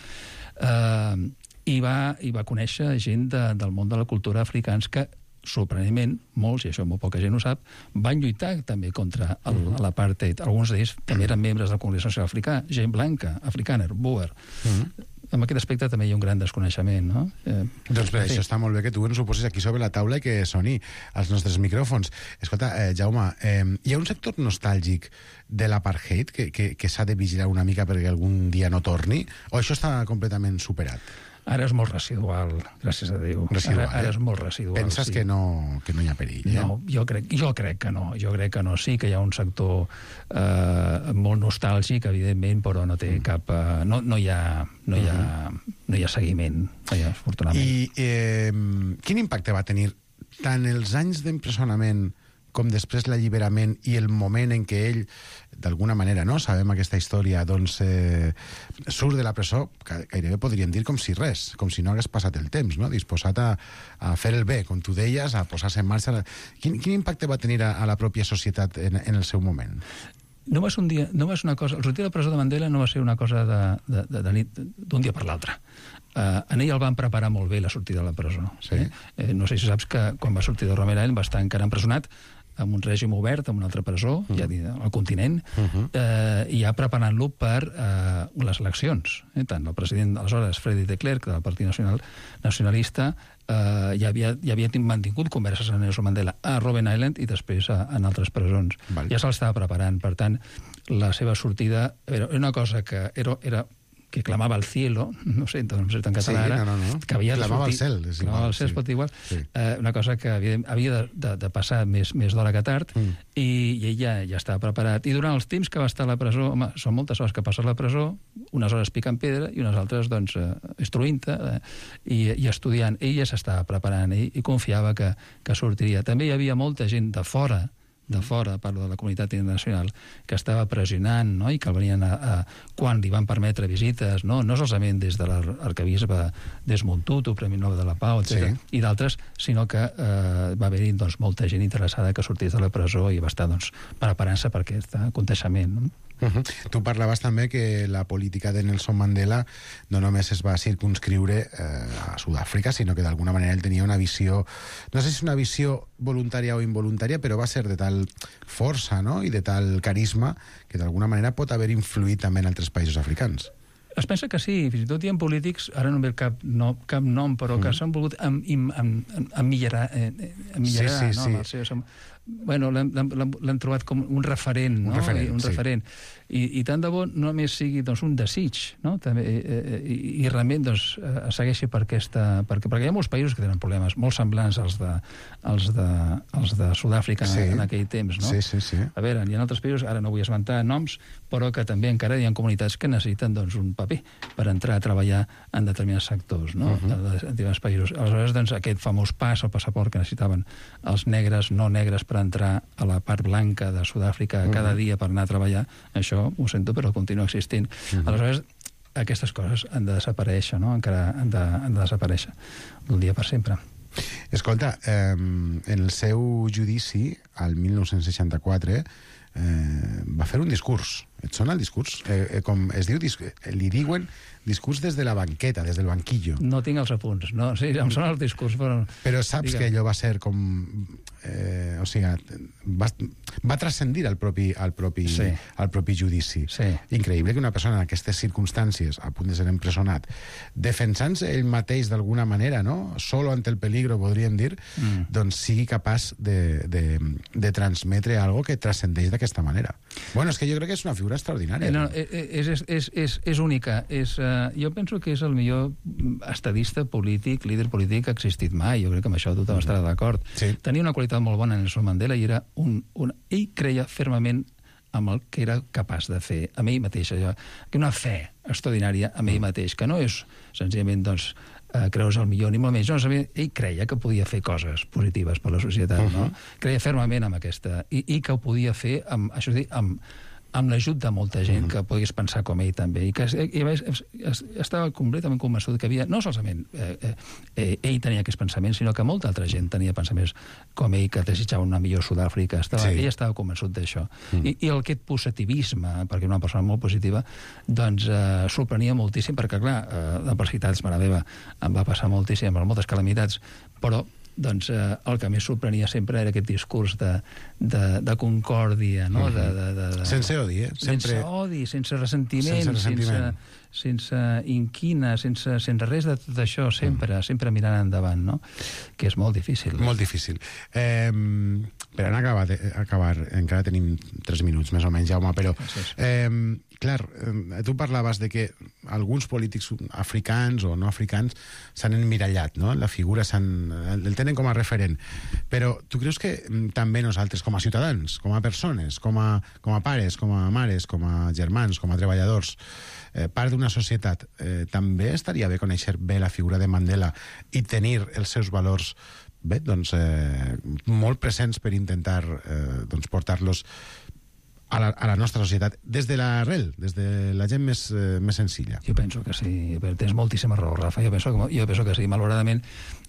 Eh, i, va, I va conèixer gent de, del món de la cultura africans que sorprenentment, molts, i això molt poca gent ho sap, van lluitar també contra el, uh -huh. l'apartheid. Alguns d'ells també eren membres del Congrés Nacional Africà, gent blanca, africana, Boer. Uh -huh. En aquest aspecte també hi ha un gran desconeixement, no? Eh, doncs bé, això està molt bé que tu ens ho posis aquí sobre la taula i que soni als nostres micròfons. Escolta, eh, Jaume, eh, hi ha un sector nostàlgic de l'apartheid que, que, que s'ha de vigilar una mica perquè algun dia no torni? O això està completament superat? Ara és molt residual, gràcies a Déu. Residual, ara, ara és molt residual. Penses sí. que, no, que no hi ha perill, eh? No, jo crec, jo crec que no. Jo crec que no. Sí que hi ha un sector eh, molt nostàlgic, evidentment, però no té mm. cap... Eh, no, no, hi ha, no, hi ha, no hi ha seguiment, ja, afortunadament. I eh, quin impacte va tenir tant els anys d'empresonament com després l'alliberament i el moment en què ell, d'alguna manera, no sabem aquesta història, doncs eh, surt de la presó, gairebé podríem dir com si res, com si no hagués passat el temps, no? Disposat a, a fer el bé, com tu deies, a posar-se en marxa. Quin, quin impacte va tenir a, a la pròpia societat en, en el seu moment? No va ser un dia, no va ser una cosa... El sortir de la presó de Mandela no va ser una cosa de, de, de, de nit, d'un dia per l'altre. Uh, en ell el van preparar molt bé la sortida de la presó. Sí? Eh? Eh, no sé si saps que quan va sortir de Robben Island va estar encara empresonat amb un règim obert, amb una altra presó, uh-huh. ja al continent, uh-huh. eh, i ja preparant-lo per eh, les eleccions. Eh? Tant el president, aleshores, Frederick de Klerk, del Partit Nacional, Nacionalista, eh, ja, havia, ja havia mantingut converses amb Nelson Mandela a Robben Island i després a, en altres presons. Val. Ja se'l estava preparant. Per tant, la seva sortida era una cosa que era... era que clamava al cielo, no sé, no sé en català sí, ara, no, no, no. que havia clamava de sortir... al cel, és igual. Clamava al cel, sí. es pot dir igual. Sí. Eh, una cosa que havia, havia de, de, de passar més, més d'hora que tard, mm. i, i ell ja, ja estava preparat. I durant els temps que va estar a la presó, home, són moltes hores que passes a la presó, unes hores picant pedra i unes altres, doncs, eh, instruint-te eh, i, i estudiant. Ell ja s'estava preparant i, i confiava que, que sortiria. També hi havia molta gent de fora, de fora, parlo de la comunitat internacional, que estava pressionant, no?, i que el venien a, a, quan li van permetre visites, no, no solament des de l'arquebisbe Desmond Tutu, Premi Nobel de la Pau, etcètera, sí. i d'altres, sinó que eh, va haver-hi doncs, molta gent interessada que sortís de la presó i va estar doncs, preparant-se per aquest aconteixement, no? Uh-huh. Tu parlaves també que la política de Nelson Mandela no només es va circunscriure eh, a Sud-àfrica, sinó que d'alguna manera ell tenia una visió, no sé si és una visió voluntària o involuntària, però va ser de tal força, no?, i de tal carisma que d'alguna manera pot haver influït també en altres països africans. Es pensa que sí, fins i tot hi ha polítics, ara no em ve cap, no, cap nom, però que mm. s'han volgut em, em, em, emmillarar, eh, emmillarar sí, sí, no? sí. El seu, bueno, l'han trobat com un referent, un no? referent, un sí. referent. I, i tant de bo no només sigui doncs, un desig, no? També, eh, i, i realment doncs, eh, segueixi per aquesta... Perquè, perquè hi ha molts països que tenen problemes molt semblants als de, als de, als de Sud-àfrica sí. en, en aquell temps, no? Sí, sí, sí. A veure, hi ha altres països, ara no vull esmentar noms, però que també encara hi ha comunitats que necessiten doncs, un paper per entrar a treballar en determinats sectors, no? Uh-huh. de, de determinats països. Aleshores, doncs, aquest famós pas, el passaport que necessitaven els negres, no negres, per entrar a la part blanca de Sud-àfrica uh-huh. cada dia per anar a treballar, això ho sento, però continua existint. Uh-huh. Aleshores, aquestes coses han de desaparèixer, no? Encara han de, han de desaparèixer d'un dia per sempre. Escolta, eh, en el seu judici, al mil nou-cents seixanta-quatre, eh, va fer un discurs. Et sona el discurs? Eh, eh, com es diu, dis li diuen discurs des de la banqueta, des del banquillo. No tinc els apunts, no, sí, em sona el discurs, però... Però saps Digue'm. que allò va ser com... Eh, o sigui, va, va transcendir al propi, al propi, Sí. al propi judici. Sí. Increïble que una persona en aquestes circumstàncies, a punt de ser empresonat, defensant-se ell mateix d'alguna manera, no? Solo ante el peligro, podríem dir, mm. doncs sigui capaç de, de, de transmetre algo que transcendeix d'aquesta manera. Bueno, és que jo crec que és una figura extraordinària. Eh, no, és, és, és, és, és única. És, uh, jo penso que és el millor estadista polític, líder polític que ha existit mai. Jo crec que amb això tothom estarà d'acord. Sí. Tenia una qualitat molt bona en Nelson Mandela i era un, un... ell creia fermament amb el que era capaç de fer, amb ell mateix, allò, que una fe extraordinària amb ell mateix, que no és senzillament, doncs, eh, creus el millor ni molt menys, no, ell creia que podia fer coses positives per la societat, uh -huh. no? Creia fermament amb aquesta, i, i que ho podia fer, amb, això és dir, amb, amb l'ajut de molta gent que pogués pensar com ell també, i que i, i, estava completament convençut que havia, no solament eh, eh, ell tenia aquests pensaments, sinó que molta altra gent tenia pensaments com ell, que desitjava una millor Sud-àfrica, estava, sí. ell estava convençut d'això. Mm. I, I el aquest positivisme, perquè era una persona molt positiva, doncs eh, sorprenia moltíssim, perquè clar, eh, l'adversitat, mare meva, em va passar moltíssim, amb moltes calamitats, però doncs eh, el que més sorprenia sempre era aquest discurs de, de, de concòrdia, no? De, de, de, de, sense odi, eh? Sempre... Sense odi, sense ressentiment, sense, ressentiment. sense, sense inquina, sense, sense res de tot això, sempre, mm. sempre mirant endavant, no? Que és molt difícil. Molt difícil. Eh, per anar a acabar, a acabar, encara tenim tres minuts més o menys, Jaume, però... Eh, clar, eh, tu parlaves de que alguns polítics africans o no africans s'han emmirallat, no? La figura s'han... el tenen com a referent. Però tu creus que també nosaltres, com a ciutadans, com a persones, com a, com a pares, com a mares, com a germans, com a treballadors, eh, part d'una societat, eh, també estaria bé conèixer bé la figura de Mandela i tenir els seus valors bé, doncs, eh, molt presents per intentar eh, doncs, portar-los a la, a la nostra societat, des de l'arrel, des de la gent més, eh, més senzilla. Jo penso que sí, tens moltíssima raó, Rafa, jo penso que, jo penso que sí, malauradament.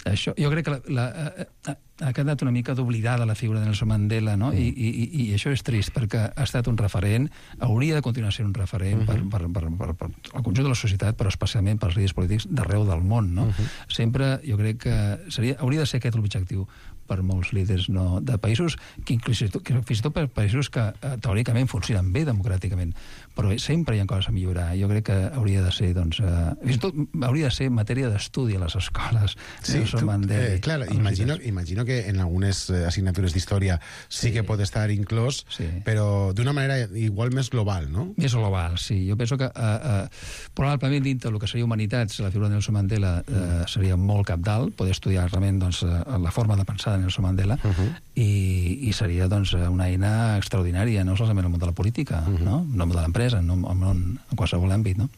Això, jo crec que la, la, ha, ha quedat una mica d'oblidada la figura de Nelson Mandela, no? Mm. I, i, i això és trist, perquè ha estat un referent, hauria de continuar sent un referent mm -hmm. per, per, per, per, per el conjunt de la societat, però especialment pels líders polítics d'arreu del món, no? Mm -hmm. Sempre jo crec que seria, hauria de ser aquest l'objectiu per molts líders, no, de països que, inclús, que fins i tot per països que eh, teòricament funcionen bé democràticament, però sempre hi ha coses a millorar. Jo crec que hauria de ser, doncs, eh, fins i tot hauria de ser matèria d'estudi a les escoles. Sí, tu, eh, clar, imagino, imagino que en algunes assignatures d'història sí, sí que pot estar inclòs, sí. però d'una manera igual més global, no? Més global, sí. Jo penso que eh, eh, probablement dintre del que seria humanitats, la figura de Nelson Mandela eh, seria molt capdalt, poder estudiar realment, doncs, la forma de pensar de Nelson Mandela, uh -huh. i, i seria, doncs, una eina extraordinària, no solament en el món de la política, uh -huh. no? En el món de l'empresa, en, en, en qualsevol àmbit, no?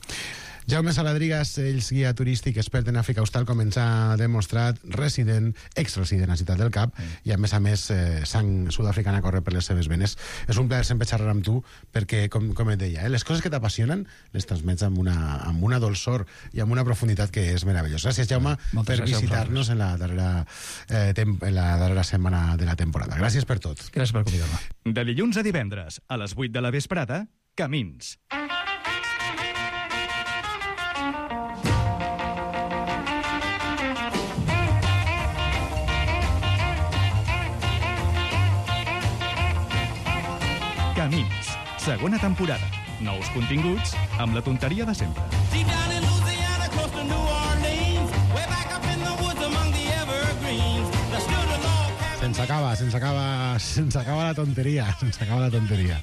Jaume Saladrigas, ell és guia turístic, expert en Àfrica Austral, com ens ha demostrat, resident, ex-resident a Ciutat del Cap, mm. i a més a més eh, sang sud-africana corre per les seves venes. És un plaer sempre xerrar amb tu, perquè, com, com et deia, eh, les coses que t'apassionen les transmets amb una, amb una dolçor i amb una profunditat que és meravellosa. Gràcies, Jaume, mm. per visitar-nos en la darrera eh, en la darrera setmana de la temporada. Gràcies per tot. Gràcies per convidar-me. De dilluns a divendres, a les vuit de la vesprada, Camins. Camins, segona temporada. Nous continguts amb la tonteria de sempre. Se'ns acaba, se'ns acaba, se'ns acaba la tonteria, se'ns acaba la tonteria.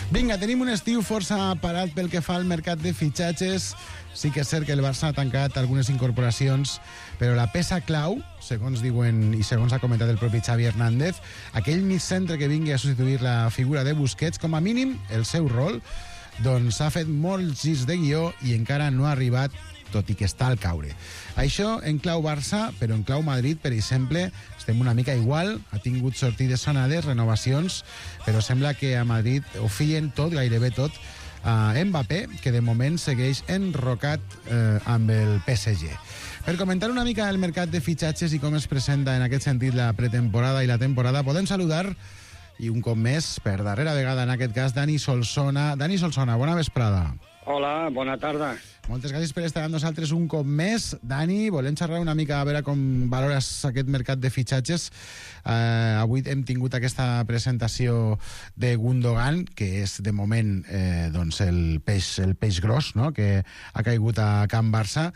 Vinga, tenim un estiu força parat pel que fa al mercat de fitxatges. Sí que és cert que el Barça ha tancat algunes incorporacions, però la peça clau, segons diuen i segons ha comentat el propi Xavi Hernández, aquell mig centre que vingui a substituir la figura de Busquets, com a mínim el seu rol, doncs ha fet molts girs de guió i encara no ha arribat, tot i que està al caure. Això en clau Barça, però en clau Madrid, per exemple, estem una mica igual, ha tingut sortides sonades, renovacions, però sembla que a Madrid ho fien tot, gairebé tot, a Mbappé, que de moment segueix enrocat eh, amb el P S G. Per comentar una mica el mercat de fitxatges i com es presenta en aquest sentit la pretemporada i la temporada, podem saludar i un cop més, per darrera vegada en aquest cas, Dani Solsona. Dani Solsona, bona vesprada. Hola, bona tarda. Moltes gràcies per estar amb nosaltres un cop més. Dani, volem xerrar una mica a veure com valores aquest mercat de fitxatges. Eh, avui hem tingut aquesta presentació de Gundogan, que és de moment eh, doncs el, peix, el peix gros, no?, que ha caigut a Can Barça.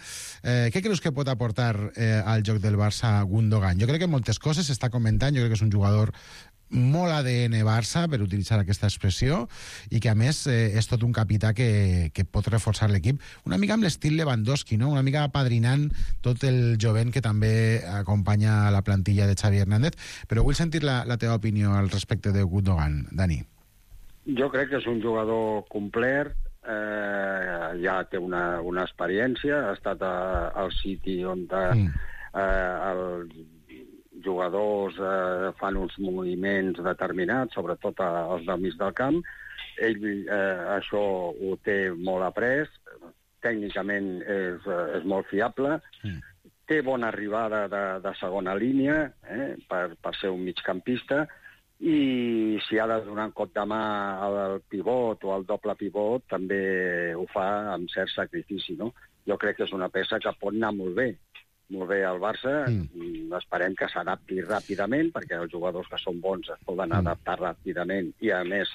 Eh, què creus que pot aportar eh, al joc del Barça Gundogan? Jo crec que moltes coses s'està comentant, jo crec que és un jugador molt A D N Barça, per utilitzar aquesta expressió, i que a més eh, és tot un capità que, que pot reforçar l'equip, una mica amb l'estil Lewandowski, no? Una mica apadrinant tot el jovent que també acompanya la plantilla de Xavi Hernández. Però vull sentir la, la teva opinió al respecte de Gundogan, Dani. Jo crec que és un jugador complet, eh, ja té una, una experiència, ha estat a, al City on de, mm. eh, el jugadors eh, fan uns moviments determinats, sobretot els del mig del camp. Ell eh, això ho té molt après, tècnicament és, és molt fiable, mm. té bona arribada de, de segona línia eh, per, per ser un migcampista, i si ha de donar un cop de mà al pivot o al doble pivot també ho fa amb cert sacrifici, no? Jo crec que és una peça que pot anar molt bé. molt bé al Barça, mm. esperem que s'adapti ràpidament, perquè els jugadors que són bons es poden mm. adaptar ràpidament, i a més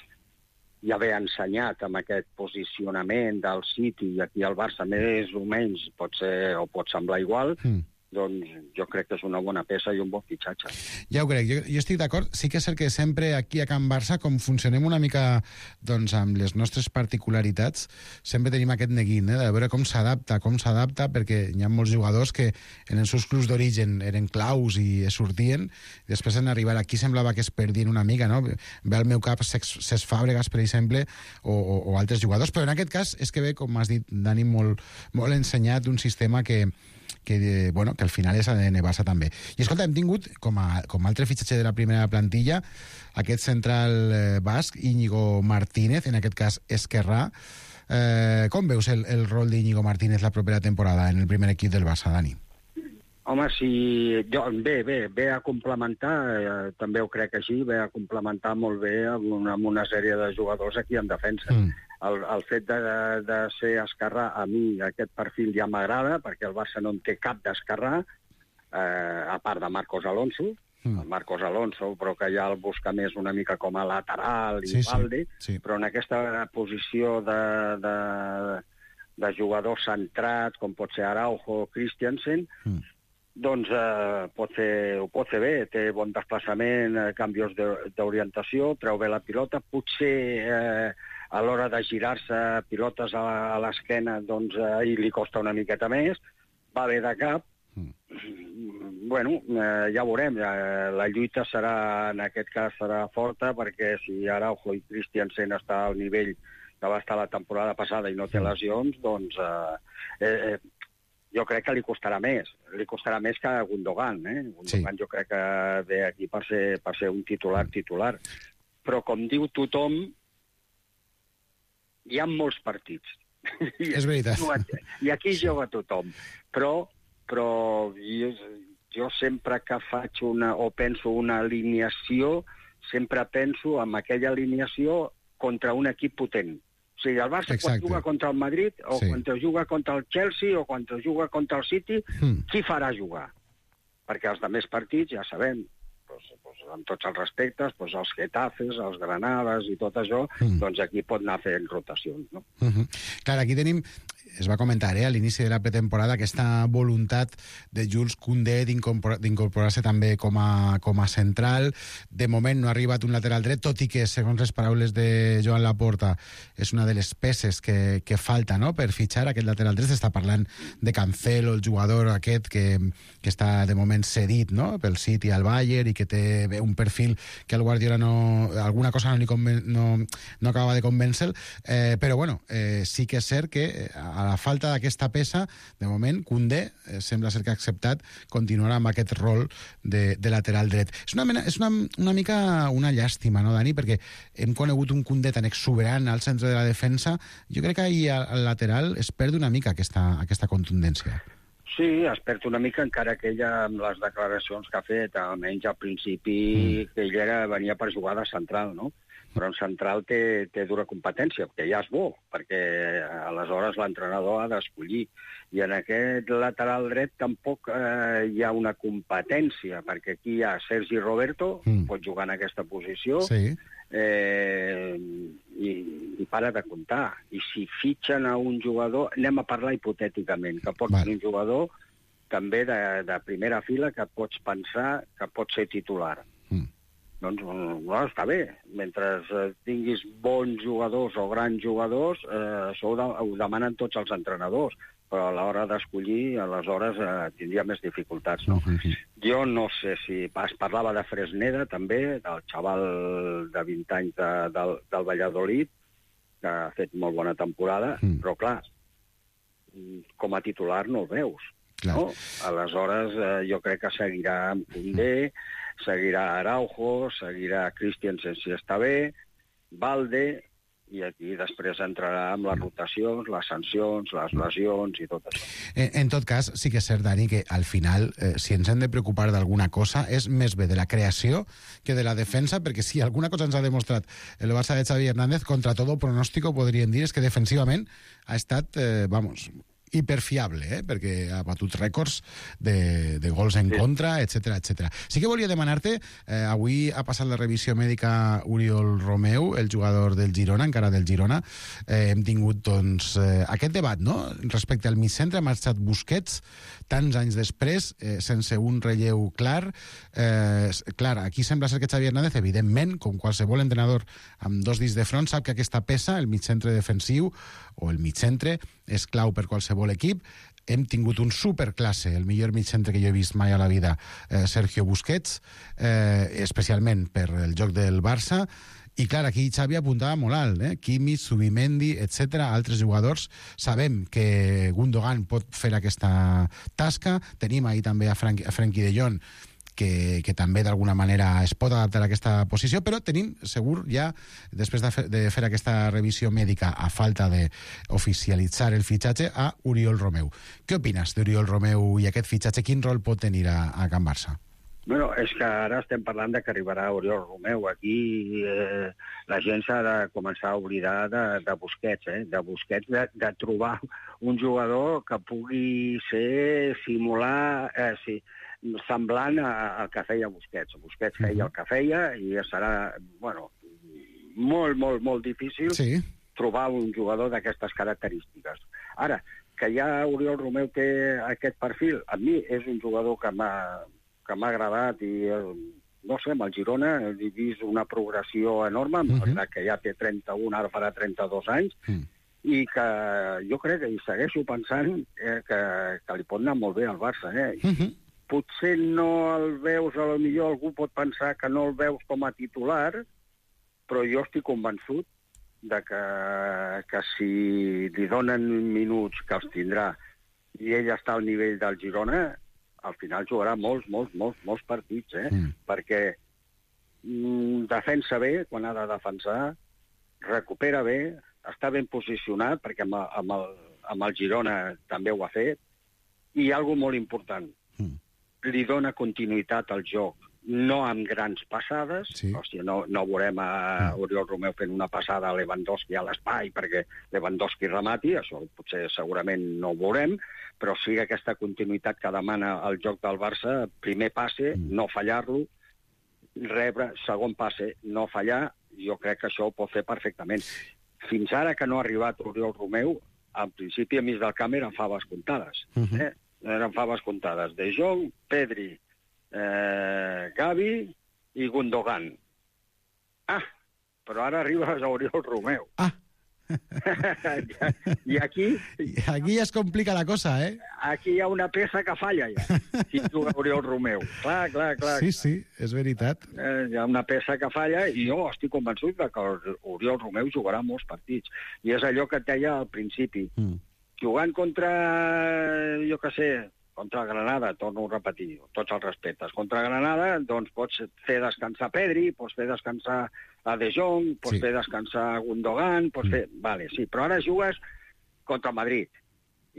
ja ve ensenyat amb aquest posicionament del City, i aquí al Barça més o menys pot ser, o pot semblar igual, mm. doncs jo crec que és una bona peça i un bon fitxatge. Ja ho crec, jo, jo estic d'acord. Sí que és cert que sempre aquí a Can Barça, com funcionem una mica doncs, amb les nostres particularitats, sempre tenim aquest neguit, eh, de veure com s'adapta, com s'adapta, perquè hi ha molts jugadors que en els seus clubs d'origen eren claus i sortien, i després en arribar aquí semblava que es perdien una mica, no? Ve al meu cap Cesc Fàbregas, per exemple, o, o, o altres jugadors, però en aquest cas és que ve, com has dit, Dani, molt, molt ensenyat un sistema que que, bueno, que al final és A D N Barça també. I escolta, hem tingut, com a, com a altre fitxatge de la primera plantilla, aquest central eh, basc, Íñigo Martínez, en aquest cas esquerrà. Eh, com veus el, el rol d'Íñigo Martínez la propera temporada en el primer equip del Barça, Dani? Home, si... Jo, bé, bé, ve a complementar, eh, també ho crec així, ve a complementar molt bé amb una, amb una sèrie de jugadors aquí en defensa. Mm. El, el fet de, de ser esquerrà, a mi aquest perfil ja m'agrada, perquè el Barça no en té cap d'esquerrà, eh, a part de Marcos Alonso, mm. Marcos Alonso, però que ja el busca més una mica com a lateral i sí, Valde, sí, sí. Però en aquesta posició de, de, de jugador centrat, com pot ser Araujo o Christensen, mm. doncs eh, pot fer, ho pot fer bé, té bon desplaçament, eh, canvis d'orientació, treu bé la pilota, potser eh, a l'hora de girar-se pilotes a, a l'esquena, doncs eh, li costa una miqueta més, va bé de cap. Mm. Bueno, eh, ja veurem, eh, la lluita serà, en aquest cas, serà forta, perquè si Araujo i Christensen està al nivell que va estar la temporada passada i no té lesions, doncs eh, eh, jo crec que li costarà més. Li costarà més que a Gundogan, eh? Gundogan sí. Jo crec que ve aquí per ser, per ser un titular titular. Però, com diu tothom, hi ha molts partits. És veritat. I aquí juga tothom. Però, però jo, jo sempre que faig una, o penso una alineació, sempre penso en aquella alineació contra un equip potent. O sigui, el Barça Exacte. Quan juga contra el Madrid, o sí. quan juga contra el Chelsea, o quan juga contra el City, mm. qui farà jugar? Perquè els altres partits, ja sabem, doncs, doncs, amb tots els respectes, doncs, els Getafes, els Granades i tot això, mm. doncs aquí pot anar fent rotacions, no? Mm-hmm. Clar, aquí tenim... Es va comentar eh, a l'inici de la pretemporada aquesta voluntat de Jules Koundé d'incorporar-se també com a, com a central. De moment no ha arribat un lateral dret, tot i que, segons les paraules de Joan Laporta, és una de les peces que, que falta, no?, per fitxar aquest lateral dret. S'està parlant de Cancelo, el jugador aquest que, que està de moment cedit, no?, pel City al Bayern, i que té un perfil que el Guardiola no... alguna cosa no, li conven, no, no acaba de convèncer, eh, però bueno, eh, sí que és cert que a la falta d'aquesta peça, de moment, Koundé eh, sembla ser que ha acceptat continuar amb aquest rol de, de lateral dret. És, una, mena, és una, una mica una llàstima, no, Dani? Perquè hem conegut un Koundé tan exuberant al centre de la defensa. Jo crec que ahir al lateral es perd una mica aquesta, aquesta contundència. Sí, es perd una mica, encara que ella, amb les declaracions que ha fet, almenys al principi, mm. que ella era, venia per jugar de central, no? Però en central té, té dura competència, que ja és bo, perquè aleshores l'entrenador ha d'escollir. I en aquest lateral dret tampoc eh, hi ha una competència, perquè aquí hi ha Sergi Roberto, mm. pot jugar en aquesta posició, sí. eh, i, i para de comptar. I si fitxen a un jugador, anem a parlar hipotèticament, que pot ser un jugador també de, de primera fila que pots pensar que pot ser titular. Mm. Doncs no, està bé. Mentre tinguis bons jugadors o grans jugadors, eh, això ho, de, ho demanen tots els entrenadors, però a l'hora d'escollir, aleshores eh, tindria més dificultats. No? Mm-hmm. Jo no sé si... Es parlava de Fresneda, també, del xaval de vint anys de, del, del Valladolid, que ha fet molt bona temporada, mm. però clar, com a titular no el veus. No? Aleshores, eh, jo crec que seguirà amb Koundé, seguirà Araujo, seguirà Christensen si està bé, Valde, i aquí després entrarà amb les rotacions, les sancions, les lesions i tot això. En, en tot cas, sí que és cert, Dani, que al final, eh, si ens hem de preocupar d'alguna cosa, és més bé de la creació que de la defensa, perquè si alguna cosa ens ha demostrat el Barça de Xavi Hernández, contra todo pronòstico, podríem dir, és que defensivament ha estat, eh, vamos... hiperfiable, eh? Perquè ha batut rècords de, de gols en sí. contra, etcètera, etcètera. Sí que volia demanar-te, eh, avui ha passat la revisió mèdica Oriol Romeu, el jugador del Girona, encara del Girona. Eh, hem tingut, doncs, eh, aquest debat, no?, respecte al migcentre. Ha marxat Busquets, tants anys després, eh, sense un relleu clar. Eh, clar, aquí sembla ser que Xavi Hernández, evidentment, com qualsevol entrenador amb dos dits de front, sap que aquesta peça, el migcentre defensiu, o el migcentre, és clau per qualsevol equip. Hem tingut un superclasse, el millor migcentre que jo he vist mai a la vida, eh, Sergio Busquets, eh, especialment per el joc del Barça. I clar, aquí Xavi apuntava molt alt, eh? Kimmich, Zubimendi, etcètera, altres jugadors. Sabem que Gundogan pot fer aquesta tasca. Tenim ahir també a, Frank, a Frenkie de Jong, que, que també d'alguna manera es pot adaptar a aquesta posició, però tenim segur ja, després de fer, de fer aquesta revisió mèdica a falta d'oficialitzar el fitxatge, a Oriol Romeu. Què opines d'Oriol Romeu i aquest fitxatge? Quin rol pot tenir a, a Can Barça? Bueno, és que ara estem parlant de que arribarà Oriol Romeu. Aquí eh, la gent s'ha de començar a oblidar de, de Busquets, eh? de Busquets, de, de trobar un jugador que pugui ser, simular... Eh, sí, semblant al que feia Busquets. Busquets feia el que feia i serà, bueno, molt, molt, molt difícil sí. trobar un jugador d'aquestes característiques. Ara, que ja Oriol Romeu té aquest perfil, a mi és un jugador que m'ha que m'ha agradat i, no sé, amb el Girona he vist una progressió enorme, uh -huh. que ja té trenta-un, ara farà trenta-dos anys, uh -huh. i que jo crec que hi segueixo pensant eh, que, que li pot anar molt bé al Barça, eh? Uh -huh. Potser no el veus, a lo millor algú pot pensar que no el veus com a titular, però jo estic convençut de que, que si li donen minuts que els tindrà i ell està al nivell del Girona, al final jugarà molts, molts, molts, molts partits, eh? Mm. Perquè mm, defensa bé quan ha de defensar, recupera bé, està ben posicionat, perquè amb, amb, el, amb el Girona també ho ha fet, i hi ha alguna molt important. Mm. Li dona continuïtat al joc, no amb grans passades, sí. o sigui, no, no veurem a Oriol Romeu fent una passada a Lewandowski a l'espai perquè Lewandowski remati, això potser segurament no ho veurem, però sí aquesta continuïtat que demana el joc del Barça, primer passe, mm. no fallar-lo, rebre, segon passe, no fallar, jo crec que això ho pot fer perfectament. Fins ara que no ha arribat Oriol Romeu, al principi a mig del camp eren faves comptades, mm-hmm. eh? eren faves comptades. De Jong, Pedri, eh, Gavi i Gundogan. Ah, però ara arribes a Oriol Romeu. Ah. I aquí... Aquí ja es complica la cosa, eh? Aquí hi ha una peça que falla, ja, si juga Oriol Romeu. Clar, clar, clar. Sí, sí, és veritat. Eh, hi ha una peça que falla i jo estic convençut que Oriol Romeu jugarà molts partits. I és allò que et deia al principi. Mm. Jugant contra, jo què sé, contra Granada, torno a repetir, tots els respectes. Contra Granada, doncs pots fer descansar Pedri, pots fer descansar a De Jong, pots sí. fer descansar a Gundogan, pots mm. fer... Vale, sí, però ara jugues contra Madrid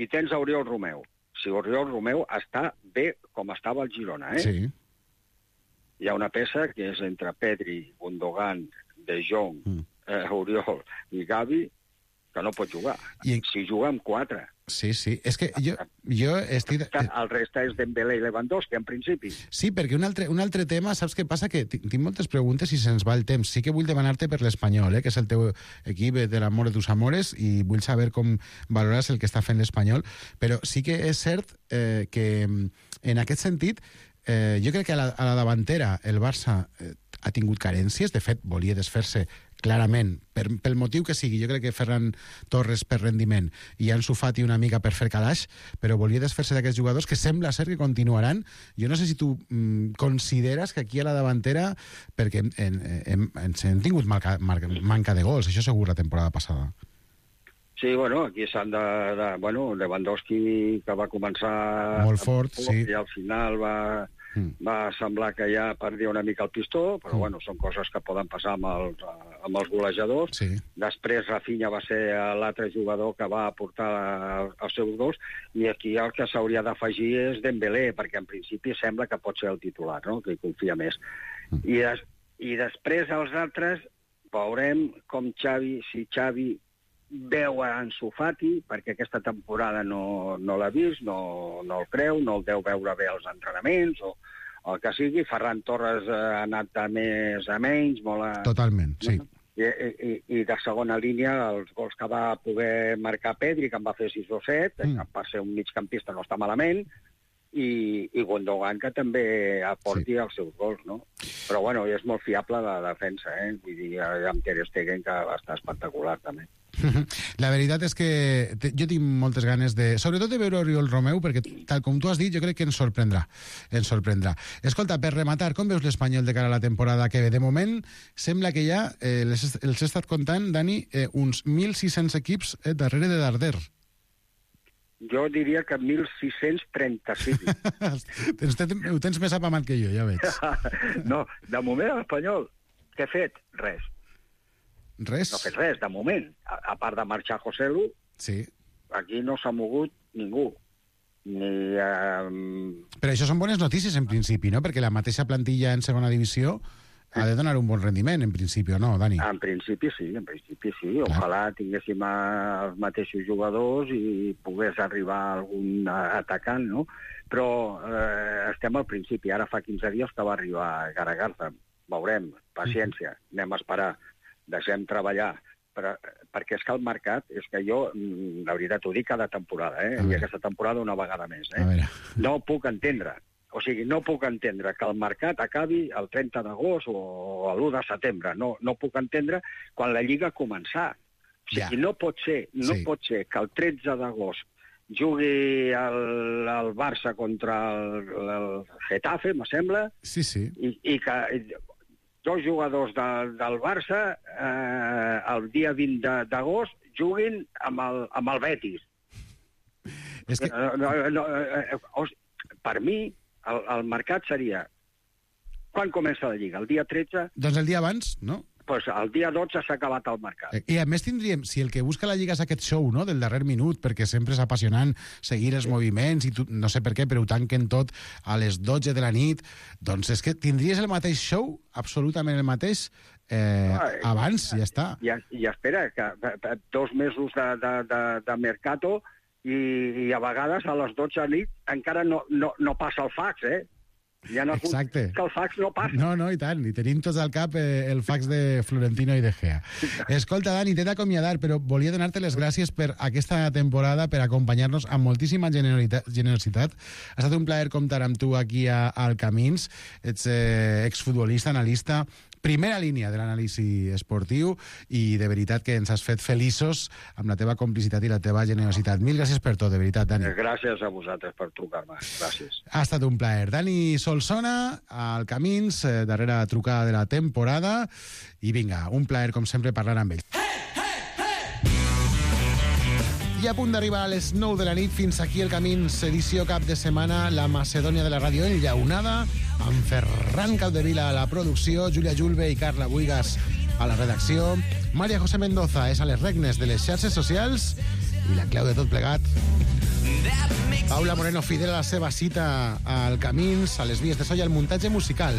i tens a Oriol Romeu. si Oriol Romeu està bé com estava el Girona, eh? Sí. Hi ha una peça que és entre Pedri, Gundogan, De Jong, mm. eh, Oriol i Gavi, que no pot jugar. I... Si juga amb quatre. Sí, sí. És que jo, jo estic... El reste és Dembélé i Lewandowski, en principi. Sí, perquè un altre, un altre tema, saps què passa? Que tinc moltes preguntes i se'ns va el temps. Sí que vull demanar-te per l'Espanyol, eh, que és el teu equip de l'amor de tus amores, i vull saber com valores el que està fent l'Espanyol, però sí que és cert eh, que en aquest sentit eh, jo crec que a la, a la davantera el Barça eh, ha tingut carències, de fet volia desfer-se clarament, per, pel motiu que sigui. Jo crec que Ferran Torres per rendiment i Ansu Fati una mica per fer calaix, però volia desfer-se d'aquests jugadors que sembla ser que continuaran. Jo no sé si tu mm, consideres que aquí a la davantera, perquè hem, hem, hem, hem tingut marca, marca, manca de gols, això segur la temporada passada. Sí, bueno, aquí s'han de, de... Bueno, Lewandowski, que va començar... Molt fort, sí. I al final va... Mm. va semblar que ja perdia una mica el pistó, però mm. bueno, són coses que poden passar amb els, amb els golejadors. Sí. Després Rafinha va ser l'altre jugador que va aportar els seus gols, i aquí el que s'hauria d'afegir és Dembélé, perquè en principi sembla que pot ser el titular, no? Que hi confia més. Mm. I, des, I després els altres veurem com Xavi, si Xavi veu a Ansu Fati, perquè aquesta temporada no, no l'ha vist, no, no el creu, no el deu veure bé als entrenaments, o, o el que sigui. Ferran Torres ha anat de més a menys, molt a... Totalment, sí. I, i, i de segona línia, els gols que va poder marcar Pedri, que en va fer sis o set, mm. que per ser un migcampista no està malament, i, i Gundogan, que també aporti sí. els seus gols, no? Però, bueno, és molt fiable la defensa, eh? Vull dir, amb Ter Stegen, que va estar espectacular, també. La veritat és que jo tinc moltes ganes de... Sobretot de veure Oriol Romeu, perquè, tal com tu has dit, jo crec que ens sorprendrà. Ens sorprendrà. Escolta, per rematar, com veus l'Espanyol de cara a la temporada que ve? De moment, sembla que ja eh, els, els he estat comptant, Dani, eh, uns mil sis-cents equips eh, darrere de Darder. Jo diria que mil sis-cents trenta-cinc. Ho tens més apamat que jo, ja veig. No, de moment l'Espanyol, què ha fet? Res. Res? No ha fet res, de moment. A, a part de marxar Joselu, sí. Aquí no s'ha mogut ningú. Ni, um... Però això són bones notícies, en principi, no? Perquè la mateixa plantilla en segona divisió ha de donar un bon rendiment, en principi, no, Dani? En principi sí, en principi sí. Clar. Ojalà tinguéssim els mateixos jugadors i pogués arribar algun atacant, no? Però eh, estem al principi. Ara fa quinze dies que va arribar Garagarza. Veurem, paciència, anem a esperar. Deixem treballar, però, perquè és que el mercat, és que jo, la veritat, ho dic cada temporada, eh? I aquesta temporada una vegada més, eh? No puc entendre, o sigui, no puc entendre que el mercat acabi el trenta d'agost o l'u de setembre, no, no puc entendre quan la Lliga ha començat. O sigui, ja. no pot ser, no sí. pot ser que el tretze d'agost jugui el, el Barça contra el, el Getafe, me sembla, sí, sí. I, i que... dos jugadors de, del Barça eh, el dia vint d'agost juguin amb el, amb el Betis. És que... no, no, no, eh, per mi, el, el mercat seria... Quan comença la Lliga? El dia tretze? Doncs el dia abans, no? Pues el dia dotze s'ha acabat el mercat. I a més tindríem, si el que busca la Lliga és aquest show, no?, del darrer minut, perquè sempre és apassionant seguir els sí. moviments, i tu, no sé per què, però ho tanquen tot a les dotze de la nit, doncs és que tindries el mateix show, absolutament el mateix, eh, ah, abans, ja està. I, i espera, que dos mesos de, de, de, de mercato i, i a vegades a les dotze de la nit encara no, no, no passa el fax, eh? Ja no Exacte. Que el fax no passa. No, no, i tant. I tenim tots al cap eh, el fax de Florentino i De Gea. Escolta, Dani, t'he d'acomiadar, però volia donar-te les gràcies per aquesta temporada, per acompanyar-nos amb moltíssima generositat. Ha estat un plaer comptar amb tu aquí a, al Camins. Ets eh, exfutbolista, analista, primera línia de l'anàlisi esportiu, i de veritat que ens has fet feliços amb la teva complicitat i la teva generositat. Mil gràcies per tot, de veritat, Dani. Gràcies a vosaltres per trucar-me. Gràcies. Ha estat un plaer. Dani Solsona, al Camins, eh, darrera trucada de la temporada, i vinga, un plaer, com sempre, parlar amb ell. I a punt d'arribar a les nou de la nit, fins aquí el Camins, edició cap de setmana, la Macedònia de la ràdio enllaunada, amb Ferran Capdevila a la producció, Júlia Julve i Carla Buigas a la redacció, Maria José Mendoza és a les regnes de les xarxes socials, i la clau de tot plegat Paula Moreno fidel a la seva cita al Camins, a les vies de so i al muntatge musical.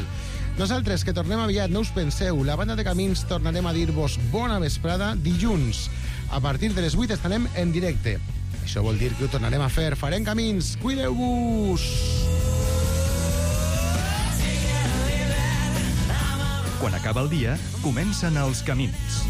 Nosaltres, que tornem aviat, no us penseu, la banda de Camins tornarem a dir-vos bona vesprada dilluns. A partir de les vuit estarem en directe. Això vol dir que ho tornarem a fer. Farem Camins. Cuideu-vos! Quan acaba el dia, comencen els camins.